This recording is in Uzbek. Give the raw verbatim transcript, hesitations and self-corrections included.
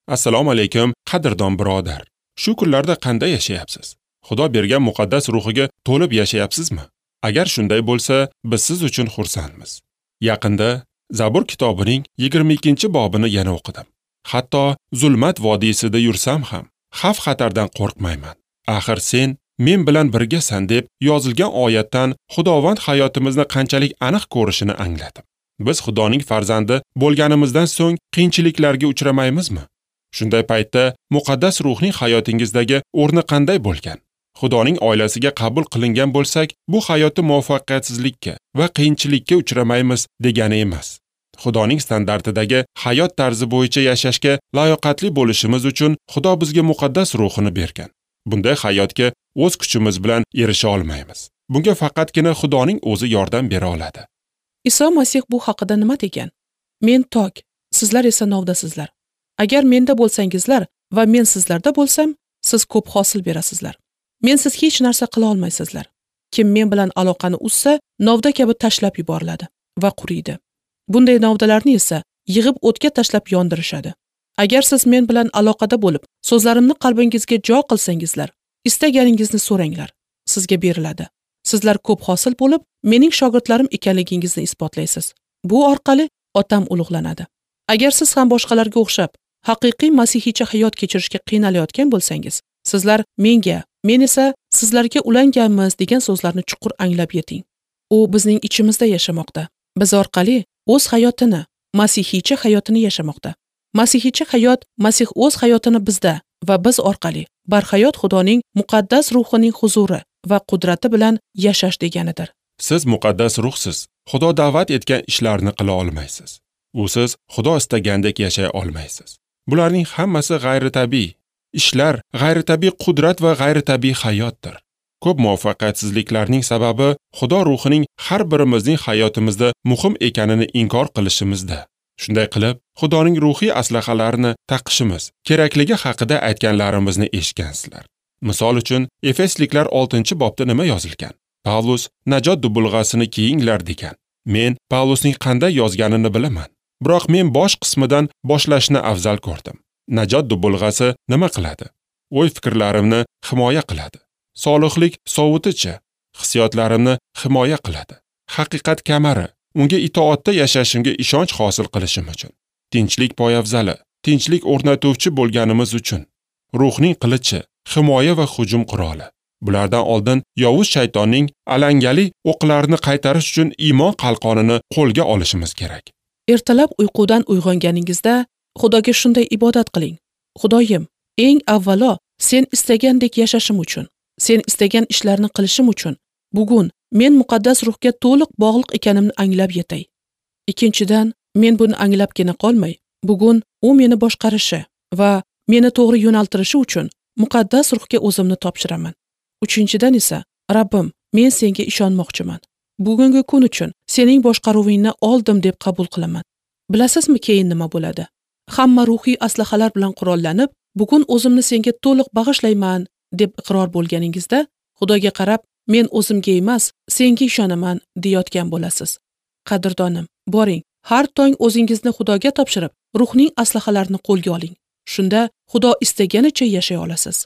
Assalomu alaykum, qadrdon birodar. Shu kunlarda qanday yashayapsiz? Xudo bergan muqaddas ruhiga to'lib yashayapsizmi? Agar shunday bo'lsa, biz siz uchun xursandmiz. Yaqinda Zabur kitobining yigirma ikkinchi bobini yana o'qidim. Hatto zulmat vodiysida yursam ham xavf-xatardan qo'rqmayman. Axir sen men bilan birgasan deb yozilgan oyatdan Xudovand hayotimizni qanchalik aniq ko'rishini angladim. Biz Xudoning farzandi bo'lganimizdan so'ng qiyinchiliklarga uchramaymizmi? Shunday paytda muqaddas ruhning hayotingizdagi o'rni qanday bo'lgan? Xudoning oilasiga qabul qilingan bo'lsak, bu hayotda muvaffaqiyatsizlikka va qiyinchilikka uchramaymiz degani emas. Xudoning standartidagi hayot tarzi bo'yicha yashashga layoqatli bo'lishimiz uchun Xudo bizga muqaddas ruhini bergan. Bunday hayotga o'z kuchimiz bilan erisha olmaymiz. Bunga faqatgina Xudoning o'zi yordam bera oladi. Iso Masih bu haqida nima degan? Men tok, sizlar esa novdasizlar. Agar menda bo'lsangizlar va men sizlarda bo'lsam, siz ko'p hosil berasizlar. Mensiz hech narsa qila olmaysizlar. Kim men bilan aloqani uzsa, novda kabi tashlab yuboriladi va quriydi. Bunday novdalarni esa yig'ib o'tga tashlab yondirishadi. Agar siz men bilan aloqada bo'lib, so'zlarimni qalbingizga jo qilsangizlar, istaganingizni so'ranglar, sizga beriladi. Sizlar ko'p hosil bo'lib, mening shogirdlarim ekanligingizni isbotlaysiz. Bu orqali Otam ulug'lanadi. Agar siz ham boshqalarga o'xshab haqiqiy masihiycha hayot kechirishga qiynalayotgan bo'lsangiz, sizlar menga, men esa sizlarga ulanganmiz degan so'zlarni chuqur anglab yeting. U bizning ichimizda yashamoqda. Biz orqali o'z hayotini, masihiycha hayotini yashamoqda. Masihiycha hayot Masih o'z hayotini bizda va biz orqali barhayot Xudoning muqaddas ruhining huzuri va qudrati bilan yashash deganidir. Siz muqaddas ruhsiz Xudo da'vat etgan ishlarni qila olmaysiz. Usiz Xudo istagandek yashay olmaysiz. Bularning hammasi g'ayritabiiy ishlar, g'ayritabiiy qudrat va g'ayritabiiy hayotdir. Ko'p muvaffaqiyatsizliklarning sababi Xudo ruhining har birimizning hayotimizda muhim ekanini inkor qilishimizda. Shunday qilib, Xudoning ruhiy aslahalarini taqishimiz kerakligi haqida aytganlarimizni eshitgansizlar. Misol uchun, Efesliklar oltinchi bobda nima yozilgan? Pavlus najot dubulg'asini kiyinglar degan. Men Pavlusning qanday yozganini bilaman. Biroq men bosh qismidan boshlashni afzal ko'rdim. Najot dubulg'asi nima qiladi? O'y-fikrlarimni himoya qiladi. Solihlik sovutichi hissiyotlarimni himoya qiladi. Haqiqat kamari unga itoatda yashashimga ishonch hosil qilishim uchun. Tinchlik poyafzali, tinchlik o'rnatuvchi bo'lganimiz uchun. Ruhning qilichi, himoya va hujum quroli. Bulardan oldin yovuz shaytonning alangali o'qlarini qaytarish uchun iymon qalqonini qo'lga olishimiz kerak. Ertalab uyqudan uyg'onganingizda Xudoga shunday ibodat qiling. Xudoyim, eng avvalo sen istagandek yashashim uchun, sen istagan ishlarni qilishim uchun bugun men muqaddas ruhga to'liq bog'liq ekanimni anglab yetay. Ikkinchidan, men buni anglabgina qolmay, bugun u meni boshqarishi va meni to'g'ri yo'naltirishi uchun muqaddas ruhga o'zimni topshiraman. Uchinchidan esa, Rabbim, men senga ishonmoqchiman. Bugungi kun uchun sening boshqaruvingni oldim deb qabul qilaman. Bilasizmi keyin nima bo'ladi? Hamma ruhiy aslahalar bilan qurollanib, bugun o'zimni senga to'liq bag'ishlayman deb iqror bo'lganingizda, Xudoga qarab, men o'zimga emas, senga ishonaman deyotgan bo'lasiz. Qadrdonim, boring, har tong o'zingizni Xudoga topshirib, ruhning aslahalarini qo'lga oling. Shunda Xudo istaganicha yashay olasiz.